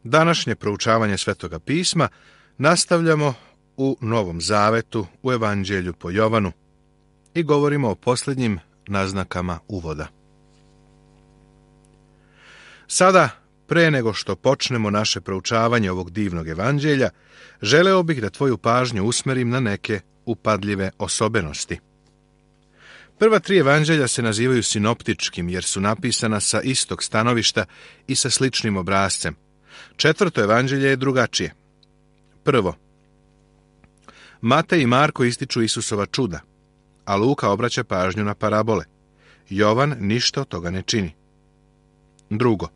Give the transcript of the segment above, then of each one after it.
Današnje proučavanje Svetoga pisma nastavljamo u Novom Zavetu, u Evanđelju po Jovanu i govorimo o posljednjim naznakama uvoda. Sada, pre nego što počnemo naše proučavanje ovog divnog evanđelja, želeo bih da tvoju pažnju usmerim na neke upadljive osobenosti. Prva tri evanđelja se nazivaju sinoptičkim jer su napisana sa istog stanovišta i sa sličnim obrascem. Četvrto evanđelje je drugačije. Prvo, Matej i Marko ističu Isusova čuda, a Luka obraća pažnju na parabole. Jovan ništa od toga ne čini. Drugo,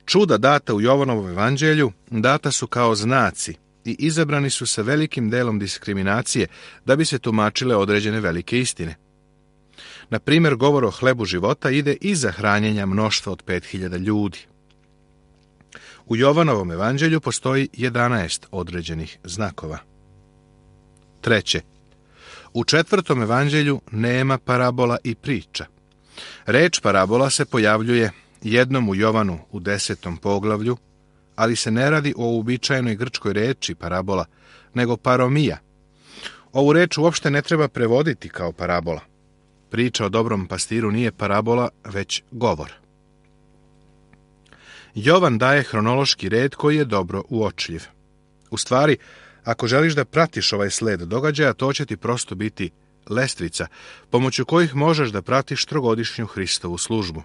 čuda data u Jovanovom evanđelju data su kao znaci i izabrani su sa velikim delom diskriminacije da bi se tumačile određene velike istine. Na primjer, govor o hlebu života ide iza hranjenja mnoštva od 5000 ljudi. U Jovanovom evanđelju postoji 11 određenih znakova. Treće, u četvrtom evanđelju nema parabola i priča. Reč parabola se pojavljuje jednom u Jovanu u 10. poglavlju, ali se ne radi o uobičajenoj grčkoj reči parabola, nego paromija. Ovu reč uopšte ne treba prevoditi kao parabola. Priča o dobrom pastiru nije parabola, već govor. Jovan daje hronološki red koji je dobro uočljiv. U stvari, ako želiš da pratiš ovaj sled događaja, to će ti prosto biti lestvica, pomoću kojih možeš da pratiš trogodišnju Hristovu službu.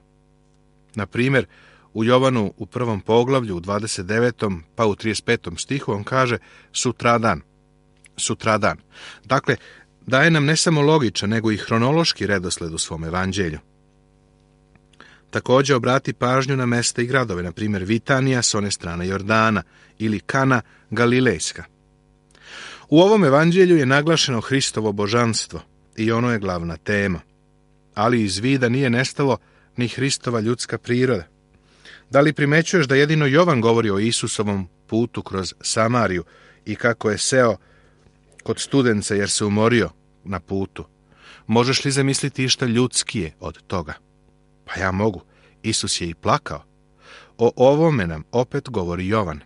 Na primjer, u Jovanu u 1. poglavlju, u 29. pa u 35. stihu on kaže sutradan. Sutradan. Dakle, daje nam ne samo logičan, nego i hronološki redosled u svom evanđelju. Također obrati pažnju na mesta i gradove, na primjer Vitanija s one strane Jordana ili Kana Galilejska. U ovom evanđelju je naglašeno Hristovo božanstvo i ono je glavna tema. Ali iz vida nije nestalo ni Hristova ljudska priroda. Da li primećuješ da jedino Jovan govori o Isusovom putu kroz Samariju i kako je seo kod studenca jer se umorio na putu? Možeš li zamisliti išta ljudskije od toga? Pa ja mogu. Isus je i plakao. O ovome nam opet govori Jovan.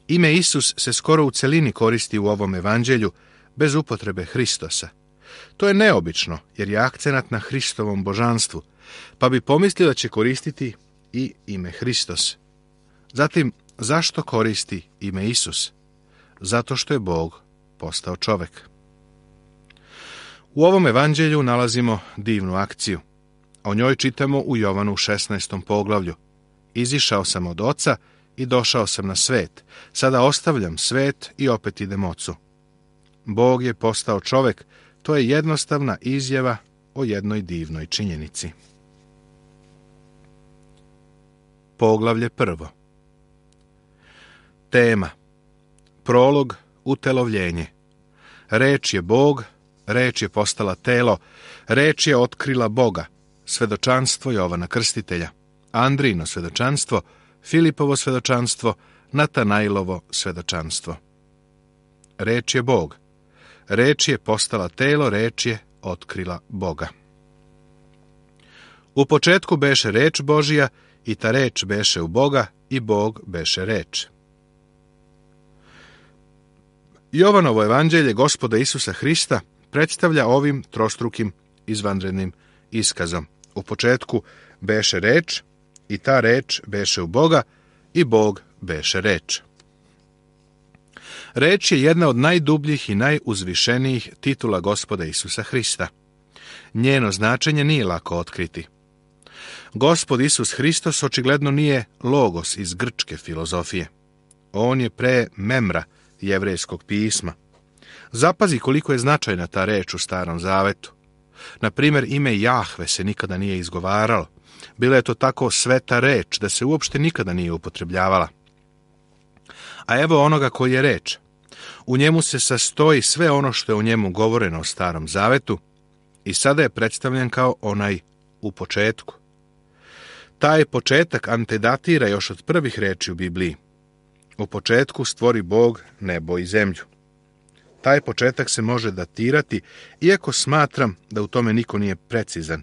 Ime Isus se skoro u celini koristi u ovom evanđelju bez upotrebe Hristosa. To je neobično jer je akcenat na Hristovom božanstvu, pa bi pomislio da će koristiti i ime Hristos. Zatim, zašto koristi ime Isus? Zato što je Bog postao čovek. U ovom evanđelju nalazimo divnu akciju. O njoj čitamo u Jovanu 16. poglavlju. Izišao sam od oca i došao sam na svet. Sada ostavljam svet i opet idem ocu. Bog je postao čovek. To je jednostavna izjava o jednoj divnoj činjenici. Poglavlje 1. Tema. Prolog, utelovljenje. Reč je Bog, reč je postala telo, reč je otkrila Boga. Svedočanstvo Jovana Krstitelja, Andrijino svedočanstvo, Filipovo svedočanstvo, Natanailovo svedočanstvo. Reč je Bog. Reč je postala telo, reč je otkrila Boga. U početku beše reč Božija i ta reč beše u Boga i Bog beše reč. Jovanovo evanđelje Gospoda Isusa Hrista predstavlja ovim trostrukim izvanrednim iskazom. U početku beše reč i ta reč beše u Boga i Bog beše reč. Reč je jedna od najdubljih i najuzvišenijih titula Gospoda Isusa Hrista. Njeno značenje nije lako otkriti. Gospod Isus Hristos očigledno nije logos iz grčke filozofije. On je pre memra jevrejskog pisma. Zapazi koliko je značajna ta reč u Starom Zavetu. Na primjer, ime Jahve se nikada nije izgovaralo. Bila je to tako sveta reč da se uopšte nikada nije upotrebljavala. A evo onoga koji je reč. U njemu se sastoji sve ono što je u njemu govoreno o Starom Zavetu i sada je predstavljen kao onaj u početku. Taj početak antedatira još od prvih reči u Bibliji. U početku stvori Bog nebo i zemlju. Taj početak se može datirati, iako smatram da u tome niko nije precizan.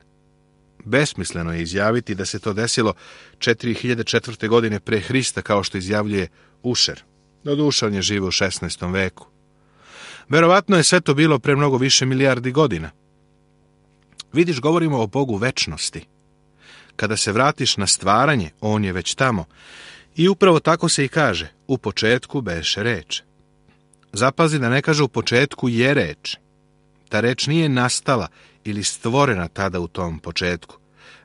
Besmisleno je izjaviti da se to desilo 4004. godine pre Hrista, kao što izjavljuje Ušer. Doduše, on je živio u 16. veku. Verovatno je sve to bilo pre mnogo više milijardi godina. Vidiš, govorimo o Bogu večnosti. Kada se vratiš na stvaranje, on je već tamo. I upravo tako se i kaže, u početku beše reč. Zapazi da ne kaže u početku je reč. Ta reč nije nastala ili stvorena tada u tom početku.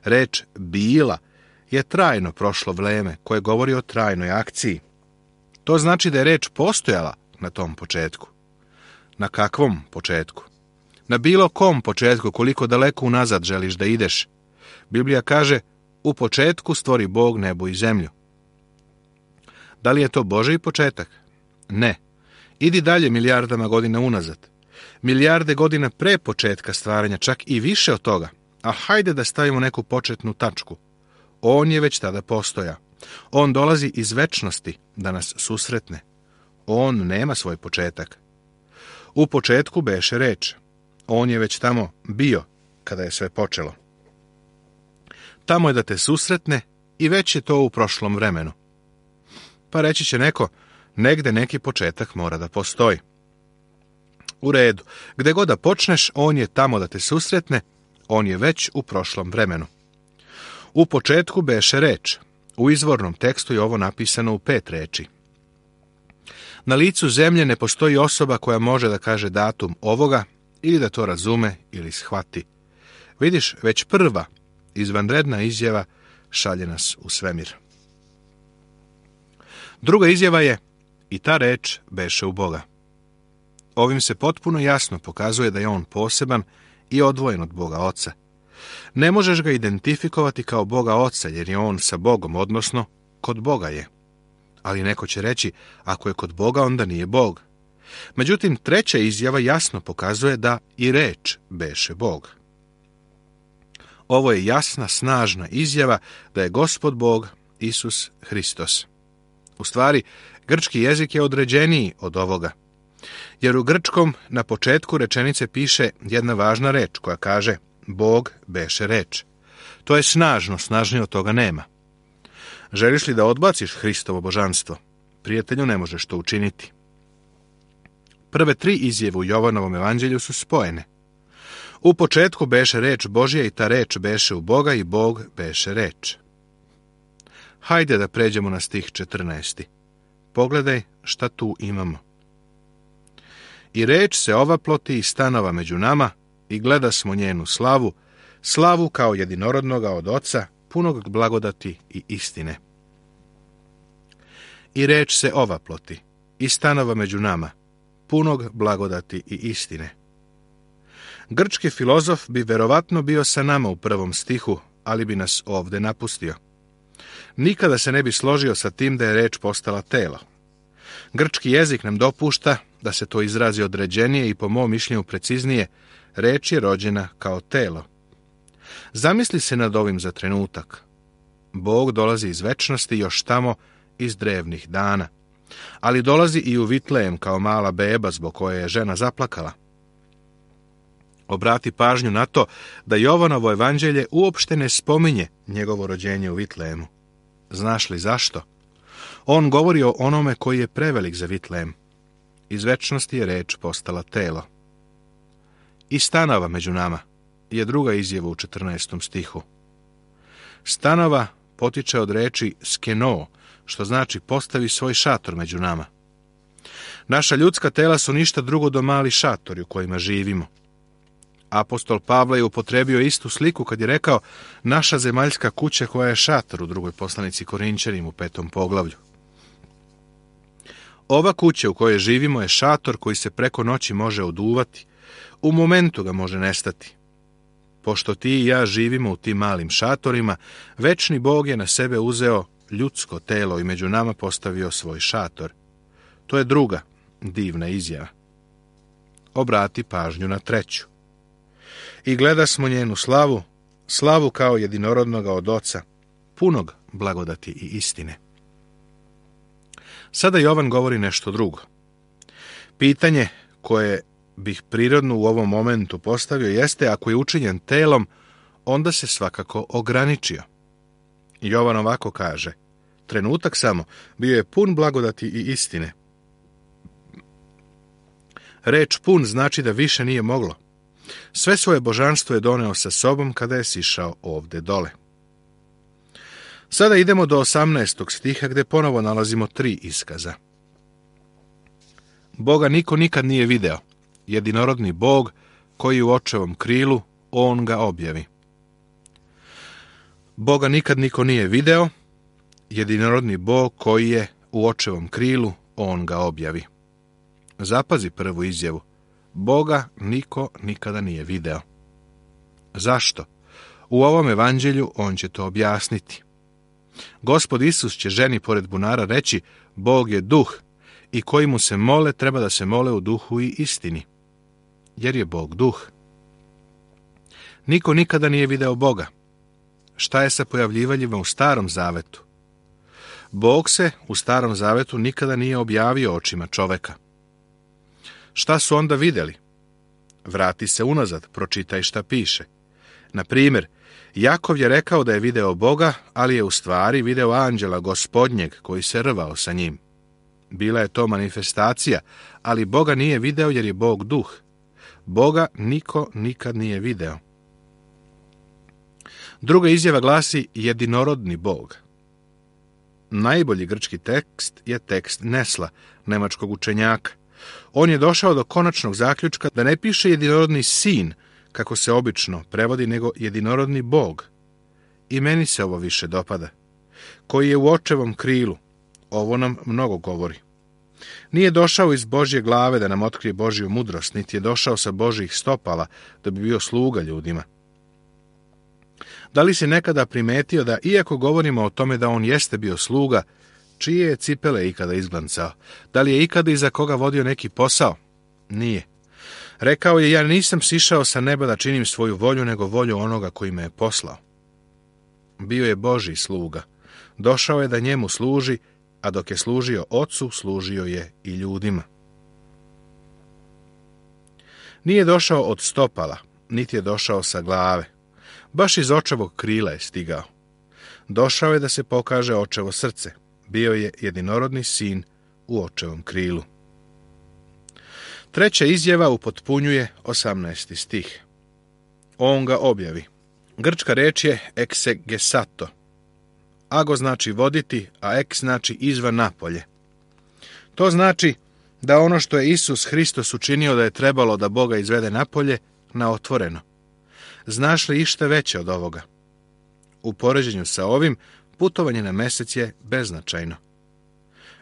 Reč bila je trajno prošlo vreme koje govori o trajnoj akciji. To znači da je reč postojala na tom početku. Na kakvom početku? Na bilo kom početku, koliko daleko unazad želiš da ideš. Biblija kaže, u početku stvori Bog nebo i zemlju. Da li je to Božji početak? Ne. Idi dalje milijardama godina unazad. Milijarde godina pre početka stvaranja, čak i više od toga. A hajde da stavimo neku početnu tačku. On je već tada postojao. On dolazi iz večnosti da nas susretne. On nema svoj početak. U početku beše reč. On je već tamo bio kada je sve počelo. Tamo je da te susretne i već je to u prošlom vremenu. Pa reći će neko, negde neki početak mora da postoji. U redu, gde god da počneš, on je tamo da te susretne, on je već u prošlom vremenu. U početku beše reč. U izvornom tekstu je ovo napisano u 5 reči. Na licu zemlje ne postoji osoba koja može da kaže datum ovoga ili da to razume ili shvati. Vidiš, već prva izvanredna izjava šalje nas u svemir. Druga izjava je, i ta reč beše u Boga. Ovim se potpuno jasno pokazuje da je on poseban i odvojen od Boga Oca. Ne možeš ga identifikovati kao Boga Oca, jer je on sa Bogom, odnosno kod Boga je. Ali neko će reći, ako je kod Boga, onda nije Bog. Međutim, treća izjava jasno pokazuje da i reč beše Bog. Ovo je jasna, snažna izjava da je Gospod Bog, Isus Hristos. U stvari, grčki jezik je određeniji od ovoga. Jer u grčkom na početku rečenice piše jedna važna reč koja kaže Bog beše reč. To je snažno, snažnije od toga nema. Želiš li da odbaciš Hristovo božanstvo? Prijatelju, ne možeš to učiniti. Prve 3 izjave u Jovanovom evanđelju su spojene. U početku beše reč Božja i ta reč beše u Boga i Bog beše reč. Hajde da pređemo na stih 14. Pogledaj šta tu imamo. I reč se ovaploti i stanova među nama i gleda smo njenu slavu, slavu kao jedinorodnoga od Oca, punog blagodati i istine. I reč se ovaploti i stanova među nama, punog blagodati i istine. Grčki filozof bi verovatno bio sa nama u 1. stihu, ali bi nas ovde napustio. Nikada se ne bi složio sa tim da je reč postala telo. Grčki jezik nam dopušta da se to izrazi određenije i po mom mišljenju preciznije, reč je rođena kao telo. Zamisli se nad ovim za trenutak. Bog dolazi iz večnosti još tamo iz drevnih dana, ali dolazi i u Vitlejem kao mala beba zbog koje je žena zaplakala. Obrati pažnju na to da Jovanovo evanđelje uopšte ne spominje njegovo rođenje u Vitlejemu. Znaš li zašto? On govori o onome koji je prevelik za Vitlejem. Iz večnosti je reč postala telo. I stanova među nama je druga izjava u 14. stihu. Stanova potiče od reči skeno, što znači postavi svoj šator među nama. Naša ljudska tela su ništa drugo do mali šatori u kojima živimo. Apostol Pavle je upotrebio istu sliku kad je rekao naša zemaljska kuća koja je šator u 2. poslanici Korinćanima u 5. poglavlju. Ova kuća u kojoj živimo je šator koji se preko noći može oduvati, u momentu ga može nestati. Pošto ti i ja živimo u tim malim šatorima, večni Bog je na sebe uzeo ljudsko telo i među nama postavio svoj šator. To je druga divna izjava. Obrati pažnju na treću. I gleda smo njenu slavu, slavu kao jedinorodnoga od Oca, punog blagodati i istine. Sada Jovan govori nešto drugo. Pitanje koje bih prirodno u ovom momentu postavio jeste, ako je učinjen telom, onda se svakako ograničio. Jovan ovako kaže: trenutak samo, bio je pun blagodati i istine. Reč pun znači da više nije moglo. Sve svoje božanstvo je doneo sa sobom kada je sišao ovde dole. Sada idemo do 18. stiha gdje ponovo nalazimo 3 iskaza. Boga niko nikad nije video, jedinorodni Bog koji u očevom krilu, on ga objavi. Boga nikad niko nije video, jedinorodni Bog koji je u očevom krilu, on ga objavi. Zapazi prvu izjavu. Boga niko nikada nije video. Zašto? U ovom evanđelju on će to objasniti. Gospod Isus će ženi pored bunara reći: Bog je duh i koji mu se mole treba da se mole u duhu i istini, jer je Bog duh. Niko nikada nije video Boga. Šta je sa pojavljivanjima u Starom zavetu? Bog se u Starom zavetu nikada nije objavio očima čoveka. Šta su onda vidjeli? Vrati se unazad, pročitaj šta piše. Na primjer, Jakov je rekao da je video Boga, ali je u stvari video anđela Gospodnjeg koji se rvao sa njim. Bila je to manifestacija, ali Boga nije video jer je Bog duh. Boga niko nikad nije video. Druga izjava glasi jedinorodni Bog. Najbolji grčki tekst je tekst Nesla, nemačkog učenjaka. On je došao do konačnog zaključka da ne piše jedinorodni sin, kako se obično prevodi, nego jedinorodni Bog. I meni se ovo više dopada. Koji je u očevom krilu. Ovo nam mnogo govori. Nije došao iz Božje glave da nam otkrije Božju mudrost, niti je došao sa Božjih stopala da bi bio sluga ljudima. Da li si nekada primetio da, iako govorimo o tome da on jeste bio sluga, čije je cipele ikada izglancao? Da li je ikada iza koga vodio neki posao? Nije. Rekao je: ja nisam sišao sa neba da činim svoju volju, nego volju onoga koji me je poslao. Bio je Božji sluga. Došao je da njemu služi, a dok je služio Ocu, služio je i ljudima. Nije došao od stopala, niti je došao sa glave. Baš iz očevog krila je stigao. Došao je da se pokaže očevo srce. Bio je jedinorodni sin u očevom krilu. Treća izjava upotpunjuje 18. stih. On ga objavi. Grčka reč je eksegesato. Ago znači voditi, a eks znači izvan napolje. To znači da ono što je Isus Hristos učinio da je trebalo da Boga izvede napolje, na otvoreno. Znaš li išta veće od ovoga? U poređenju sa ovim, putovanje na mesec je beznačajno.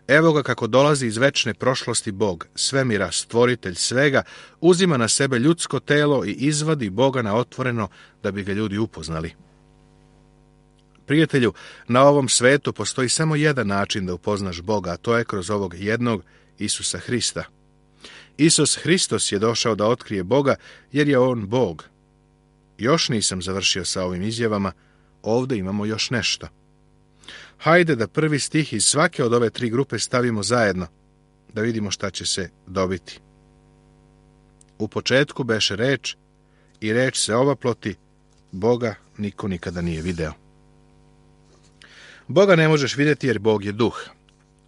Evo ga kako dolazi iz večne prošlosti Bog, svemira, stvoritelj svega, uzima na sebe ljudsko telo i izvadi Boga na otvoreno da bi ga ljudi upoznali. Prijatelju, na ovom svetu postoji samo jedan način da upoznaš Boga, a to je kroz ovog jednog Isusa Hrista. Isus Hristos je došao da otkrije Boga jer je on Bog. Još nisam završio sa ovim izjavama, ovdje imamo još nešto. Hajde da prvi stih iz svake od ove 3 grupe stavimo zajedno, da vidimo šta će se dobiti. U početku beše reč, i reč se ovaploti, Boga niko nikada nije video. Boga ne možeš vidjeti jer Bog je duh.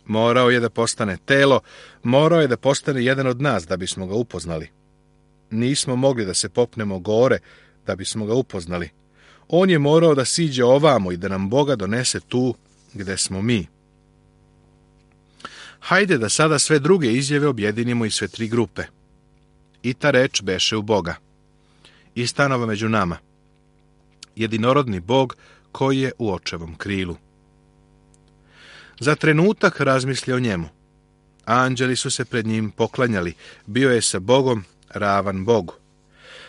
Morao je da postane telo, morao je da postane jedan od nas da bismo ga upoznali. Nismo mogli da se popnemo gore da bismo ga upoznali. On je morao da siđe ovamo i da nam Boga donese tu gde smo mi. Hajde da sada sve druge izjave objedinimo i sve 3 grupe. I ta reč beše u Boga. I stanova među nama. Jedinorodni Bog koji je u očevom krilu. Za trenutak razmisli o njemu. Anđeli su se pred njim poklanjali. Bio je sa Bogom ravan Bogu.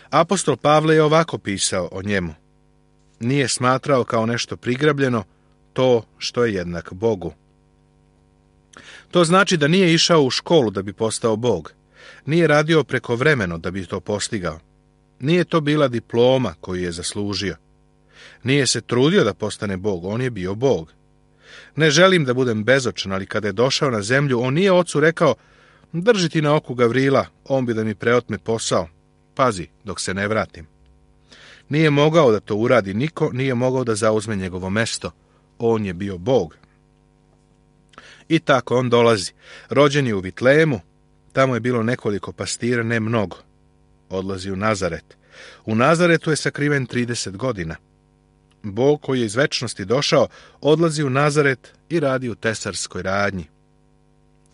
Apostol Pavle je ovako pisao o njemu. Nije smatrao kao nešto prigrabljeno to što je jednak Bogu. To znači da nije išao u školu da bi postao Bog. Nije radio prekovremeno da bi to postigao. Nije to bila diploma koju je zaslužio. Nije se trudio da postane Bog, on je bio Bog. Ne želim da budem bezočan, ali kada je došao na zemlju, on nije ocu rekao: drži ti na oku Gavrila, on bi da mi preotme posao. Pazi, dok se ne vratim. Nije mogao da to uradi niko, nije mogao da zauzme njegovo mesto. On je bio Bog. I tako on dolazi. Rođen je u Vitlejemu, tamo je bilo nekoliko pastira, ne mnogo. Odlazi u Nazaret. U Nazaretu je sakriven 30 godina. Bog koji je iz večnosti došao, odlazi u Nazaret i radi u tesarskoj radnji.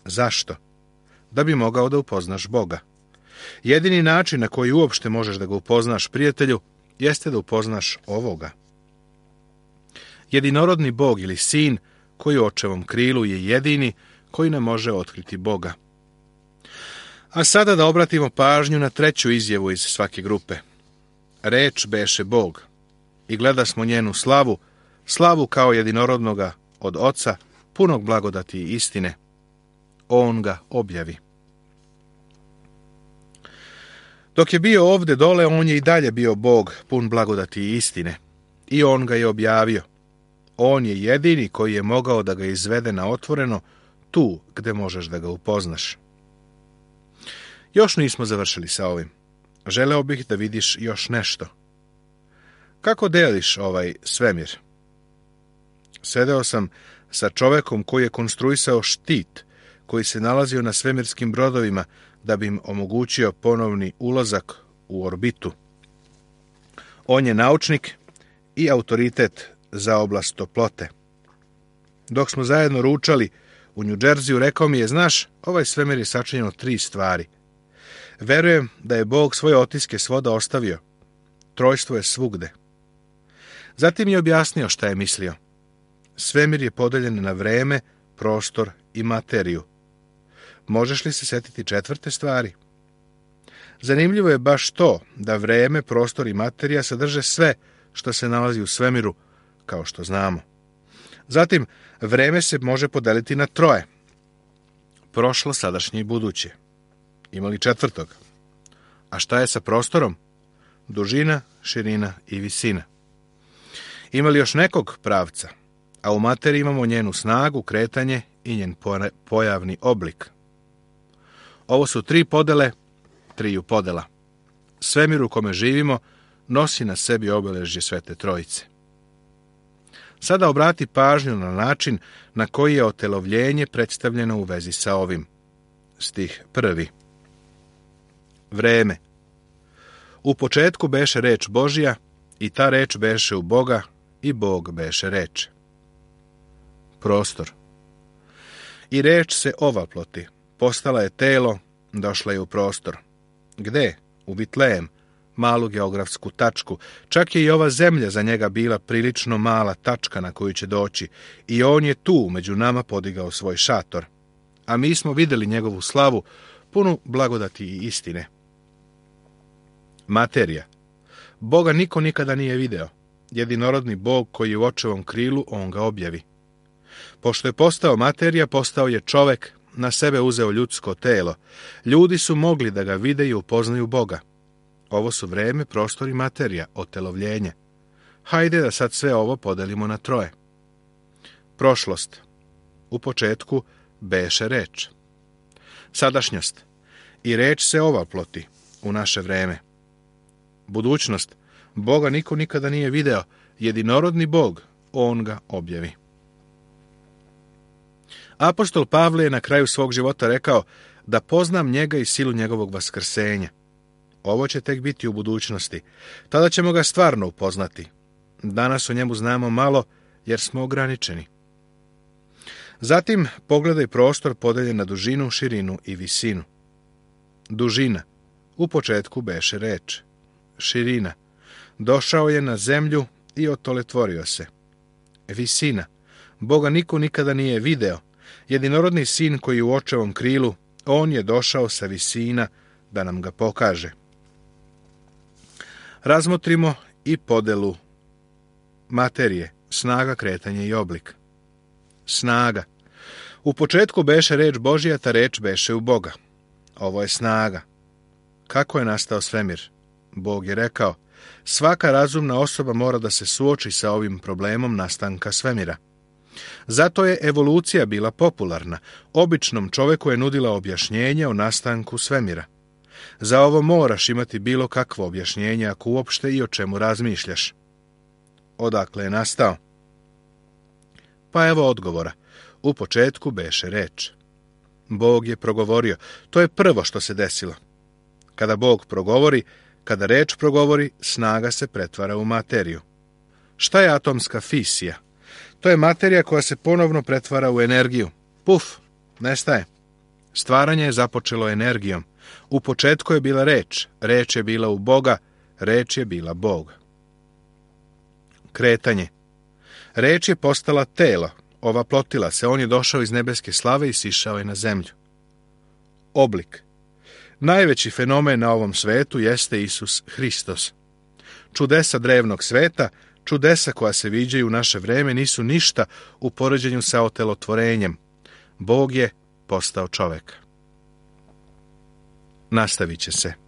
Zašto? Da bi mogao da upoznaš Boga. Jedini način na koji uopšte možeš da ga upoznaš, prijatelju, jeste da upoznaš ovoga. Jedinorodni Bog ili Sin, koji u očevom krilu je jedini koji ne može otkriti Boga. A sada da obratimo pažnju na treću izjavu iz svake grupe. Reč beše Bog. I gleda smo njenu slavu, slavu kao jedinorodnoga od Oca, punog blagodati i istine. On ga objavi. Dok je bio ovde dole, on je i dalje bio Bog, pun blagodati i istine. I on ga je objavio. On je jedini koji je mogao da ga izvede na otvoreno, tu gde možeš da ga upoznaš. Još nismo završili sa ovim. Želeo bih da vidiš još nešto. Kako deliš ovaj svemir? Sedeo sam sa čovekom koji je konstruisao štit, koji se nalazio na svemirskim brodovima da bi im omogućio ponovni ulazak u orbitu. On je naučnik i autoritet za oblast toplote. Dok smo zajedno ručali u New Jersey, rekao mi je, znaš, ovaj svemir je sačinjen od 3 stvari. Verujem da je Bog svoje otiske svuda ostavio. Trojstvo je svugde. Zatim je objasnio šta je mislio. Svemir je podeljen na vreme, prostor i materiju. Možeš li se setiti 4. stvari? Zanimljivo je baš to da vreme, prostor i materija sadrže sve što se nalazi u svemiru, kao što znamo. Zatim, vreme se može podeliti na 3. Prošlo, sadašnje i buduće. Ima li 4? A šta je sa prostorom? Dužina, širina i visina. Ima li još nekog pravca? A u materiji imamo njenu snagu, kretanje i njen pojavni oblik. Ovo su 3 podele, 3 podela. Svemir u kome živimo nosi na sebi obeležje Svete Trojice. Sada obrati pažnju na način na koji je otelovljenje predstavljeno u vezi sa ovim. Stih 1. Vreme. U početku beše reč Božja, i ta reč beše u Boga, i Bog beše reč. Prostor. I reč se ovaploti, postala je telo, došla je u prostor. Gde? U Vitlejem, malu geografsku tačku. Čak je i ova zemlja za njega bila prilično mala tačka na koju će doći, i on je tu među nama podigao svoj šator. A mi smo vidjeli njegovu slavu, punu blagodati i istine. Materija. Boga niko nikada nije video. Jedinorodni Bog koji je u očevom krilu, on ga objavi. Pošto je postao materija, postao je čovek, na sebe uzeo ljudsko telo. Ljudi su mogli da ga vide i upoznaju Boga. Ovo su vreme, prostor i materija, otelovljenje. Hajde da sad sve ovo podelimo na 3. Prošlost. U početku beše reč. Sadašnjost. I reč se ovaploti u naše vreme. Budućnost. Boga niko nikada nije video. Jedinorodni Bog, on ga objavi. Apostol Pavle je na kraju svog života rekao da poznam njega i silu njegovog vaskrsenja. Ovo će tek biti u budućnosti. Tada ćemo ga stvarno upoznati. Danas o njemu znamo malo jer smo ograničeni. Zatim pogledaj prostor podeljen na dužinu, širinu i visinu. Dužina. U početku beše reč. Širina. Došao je na zemlju i otoletvorio se. Visina. Boga niko nikada nije video. Jedinorodni sin koji je u očevom krilu, on je došao sa visina da nam ga pokaže. Razmotrimo i podelu materije, snaga, kretanje i oblik. Snaga. U početku beše reč Božja, ta reč beše u Boga. Ovo je snaga. Kako je nastao svemir? Bog je rekao, svaka razumna osoba mora da se suoči sa ovim problemom nastanka svemira. Zato je evolucija bila popularna. Običnom čoveku je nudila objašnjenje o nastanku svemira. Za ovo moraš imati bilo kakvo objašnjenje, ako uopšte i o čemu razmišljaš. Odakle je nastao? Pa evo odgovora. U početku beše reč. Bog je progovorio. To je prvo što se desilo. Kada Bog progovori, kada reč progovori, snaga se pretvara u materiju. Šta je atomska fisija? To je materija koja se ponovno pretvara u energiju. Puf, nestaje. Stvaranje je započelo energijom. U početku je bila reč. Reč je bila u Boga. Reč je bila Bog. Kretanje. Reč je postala telo. Ovaplotila se. On je došao iz nebeske slave i sišao je na zemlju. Oblik. Najveći fenomen na ovom svetu jeste Isus Hristos. Čudesa drevnog sveta, čudesa koja se viđaju u naše vreme, nisu ništa u poređenju sa otelotvorenjem. Bog je postao čovek. Nastavit će se.